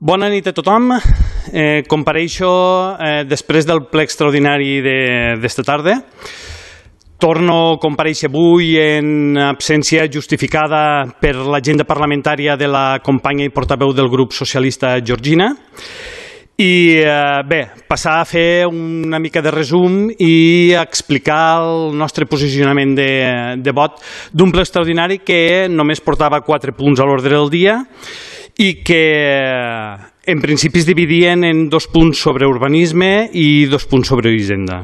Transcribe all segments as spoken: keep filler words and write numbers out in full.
Bona nit a tothom. Eh, compareixo eh, després del ple extraordinari d'esta tarda. Torno a comparèixer avui en absència justificada per l'agenda parlamentària de la companya i portaveu del grup socialista Georgina. I eh, bé, passar a fer una mica de resum i explicar el nostre posicionament de, de vot d'un ple extraordinari que només portava quatre punts a l'ordre del dia i que en principi es dividien en dos punts sobre urbanisme i dos punts sobre hisenda.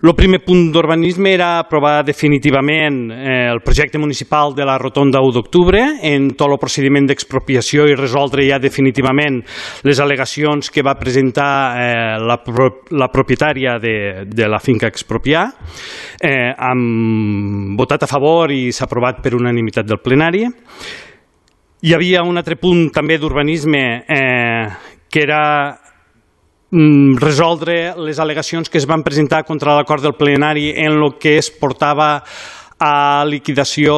El primer punt d'urbanisme era aprovar definitivament eh, el projecte municipal de la Rotonda u d'octubre en tot el procediment d'expropiació i resoldre ja definitivament les al·legacions que va presentar eh, la, pro la propietària de, de la finca expropiar. Eh, hem votat a favor i s'ha aprovat per unanimitat del plenari. Hi havia un altre punt també d'urbanisme eh, que era resoldre les al·legacions que es van presentar contra l'acord del plenari en el que es portava a liquidació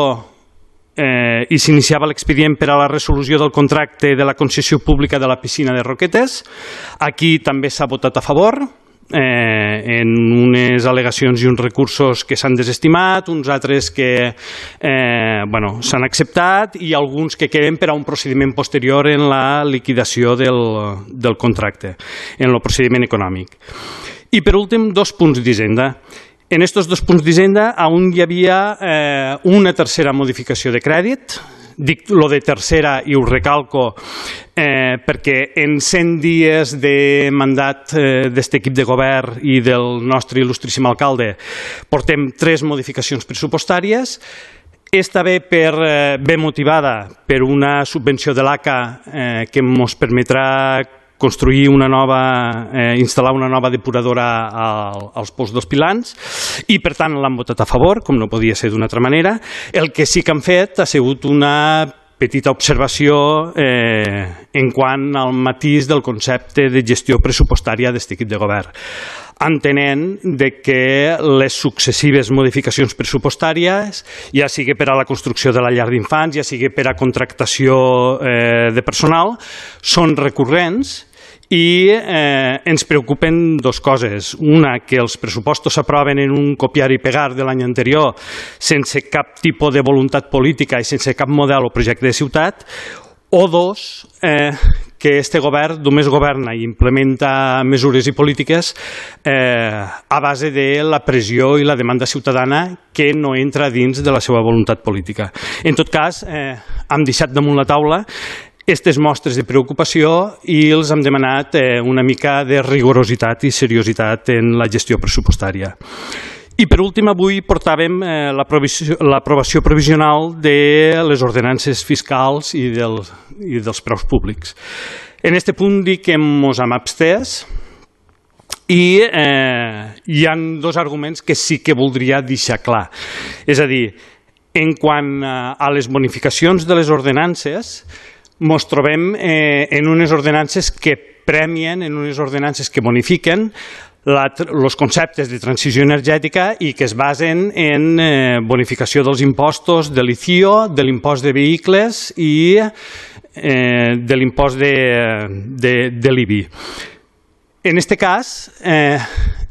eh, i s'iniciava l'expedient per a la resolució del contracte de la concessió pública de la piscina de Roquetes. Aquí també s'ha votat a favor eh, en unes al·legacions i uns recursos que s'han desestimat, uns altres que eh, bueno, s'han acceptat i alguns que queden per a un procediment posterior en la liquidació del, del contracte, en el procediment econòmic. I per últim, dos punts d'hisenda. En aquests dos punts d'hisenda on hi havia eh, una tercera modificació de crèdit. Dic lo de tercera i ho recalco eh, perquè en cent dies de mandat eh, d'aquest equip de govern i del nostre il·lustríssim alcalde portem tres modificacions pressupostàries. Esta ve, per, eh, ve motivada per una subvenció de l'A C A eh, que ens permetrà construir una nova, eh, instal·lar una nova depuradora al, als pous dels Pilans i per tant l'han votat a favor, com no podia ser d'una altra manera. El que sí que han fet ha sigut una petita observació eh, en quant al matís del concepte de gestió pressupostària d'aquest equip de govern, entenent de que les successives modificacions pressupostàries, ja sigui per a la construcció de la llar d'infants, ja sigui per a contractació eh, de personal, són recurrents i eh, ens preocupen dues coses. Una, que els pressupostos s'aproven en un copiar i pegar de l'any anterior sense cap tipus de voluntat política i sense cap model o projecte de ciutat, o dos, eh, que este govern només governa i implementa mesures i polítiques eh, a base de la pressió i la demanda ciutadana que no entra dins de la seva voluntat política. En tot cas, eh, hem deixat damunt la taula aquestes mostres de preocupació i els hem demanat eh, una mica de rigorositat i seriositat en la gestió pressupostària. I per últim, avui portàvem eh, l'aprovació provisional de les ordenances fiscals i, del, i dels preus públics. En aquest punt dic que ens hem abstès i eh, hi ha dos arguments que sí que voldria deixar clar. És a dir, en quant a les bonificacions de les ordenances, ens trobem eh, en unes ordenances que premien, en unes ordenances que bonifiquen els conceptes de transició energètica i que es basen en eh, bonificació dels impostos de l'I C I O, de l'impost de vehicles i eh, de l'impost de, de, de l'I B I. En aquest cas, eh,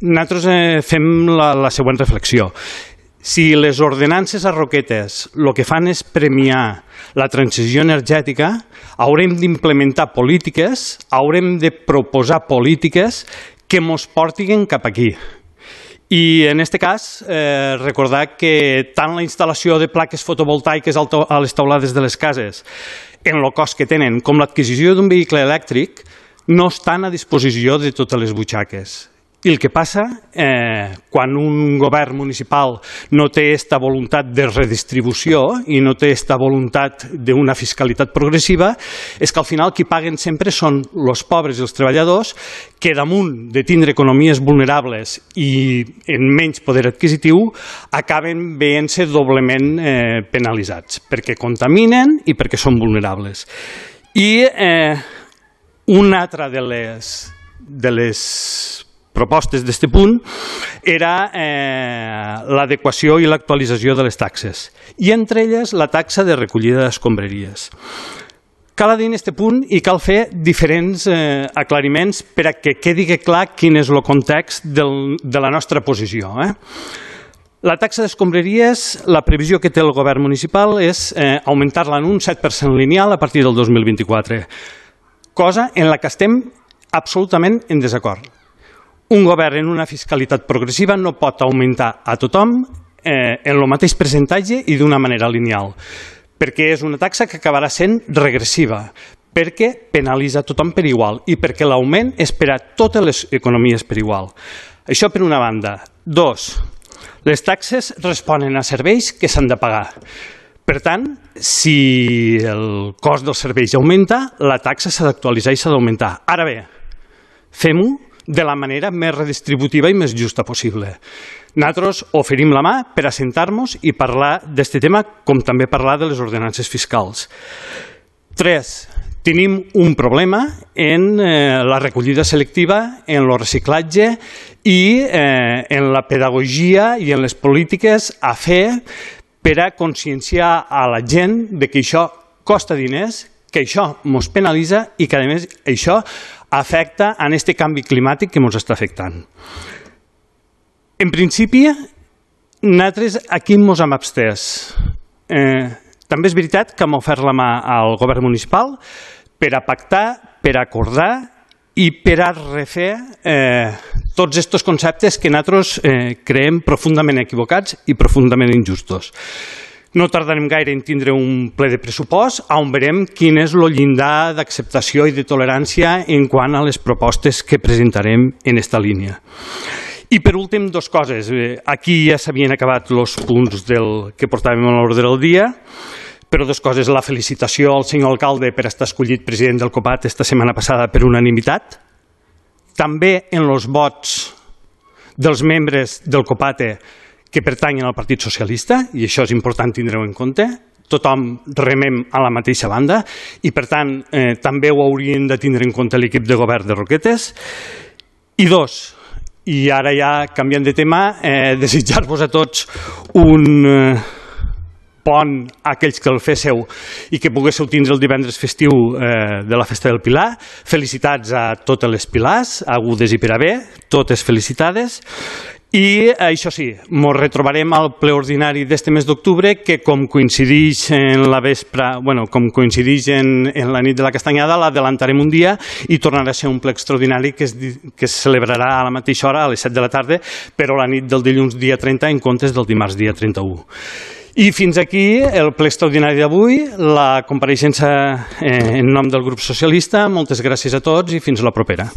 nosaltres eh, fem la, la següent reflexió. Si les ordenances a Roquetes el que fan és premiar la transició energètica, haurem d'implementar polítiques, haurem de proposar polítiques que ens portin cap aquí. I en aquest cas, eh, recordar que tant la instal·lació de plaques fotovoltaiques a les teulades de les cases, en el cost que tenen, com l'adquisició d'un vehicle elèctric, no estan a disposició de totes les butxaques. I el que passa, eh, quan un govern municipal no té aquesta voluntat de redistribució i no té aquesta voluntat d'una fiscalitat progressiva, és que al final qui paguen sempre són els pobres i els treballadors que damunt de tindre economies vulnerables i en menys poder adquisitiu acaben veient-se doblement eh, penalitzats, perquè contaminen i perquè són vulnerables. I eh, una altra de les, de les propostes d'aquest punt era eh, l'adequació i l'actualització de les taxes, i entre elles la taxa de recollida d'escombraries. Cal dir en aquest punt i cal fer diferents eh, aclariments per a que quedi clar quin és el context del, de la nostra posició. Eh? La taxa d'escombraries, la previsió que té el govern municipal és eh, augmentar-la en un set per cent lineal a partir del dos mil vint-i-quatre, cosa en la que estem absolutament en desacord. Un govern en una fiscalitat progressiva no pot augmentar a tothom eh, en el mateix percentatge i d'una manera lineal, perquè és una taxa que acabarà sent regressiva, perquè penalitza tothom per igual i perquè l'augment és per a totes les economies per igual. Això per una banda. Dos, les taxes responen a serveis que s'han de pagar. Per tant, si el cost dels serveis augmenta, la taxa s'ha d'actualitzar i s'ha d'augmentar. Ara bé, fem-ho de la manera més redistributiva i més justa possible. Nosaltres oferim la mà per assentar-nos i parlar d'aquest tema, com també parlar de les ordenances fiscals. Tres, tenim un problema en eh, la recollida selectiva, en el reciclatge i eh, en la pedagogia i en les polítiques a fer per a conscienciar a la gent de que això costa diners, que això ens penalitza i que, a més, això afecta en aquest canvi climàtic que ens està afectant. En principi, nosaltres aquí ens hem abstès. Eh, també és veritat que hem ofert la mà al govern municipal per a pactar, per a acordar i per a refer eh, tots aquests conceptes que nosaltres eh, creiem profundament equivocats i profundament injustos. No tardarem gaire en tindre un ple de pressupost on veurem quin és el llindar d'acceptació i de tolerància en quant a les propostes que presentarem en aquesta línia. I per últim, dues coses. Aquí ja s'havien acabat els punts del que portàvem a l'ordre del dia, però dues coses. La felicitació al senyor alcalde per estar escollit president del COPAT esta setmana passada per unanimitat. També en els vots dels membres del COPATE que pertanyen al Partit Socialista, i això és important tindre-ho en compte. Tothom remem a la mateixa banda i, per tant, eh, també ho haurien de tindre en compte l'equip de govern de Roquetes. I dos, i ara ja canviant de tema, eh, desitjar-vos a tots un eh, pont a aquells que el féssiu i que poguéssiu tindre el divendres festiu eh, de la Festa del Pilar. Felicitats a totes les Pilars, agudes i per a bé, totes felicitades. I això sí, ens retrobarem al ple ordinari d'este mes d'octubre, que com coincideix en la vespre, bueno, com coincideix en, en la nit de la Castanyada, l'adelantarem un dia i tornarà a ser un ple extraordinari que es, que es celebrarà a la mateixa hora, a les set de la tarda, però la nit del dilluns dia trenta en comptes del dimarts dia trenta-u. I fins aquí el ple extraordinari d'avui, la compareixença eh, en nom del grup socialista. Moltes gràcies a tots i fins la propera.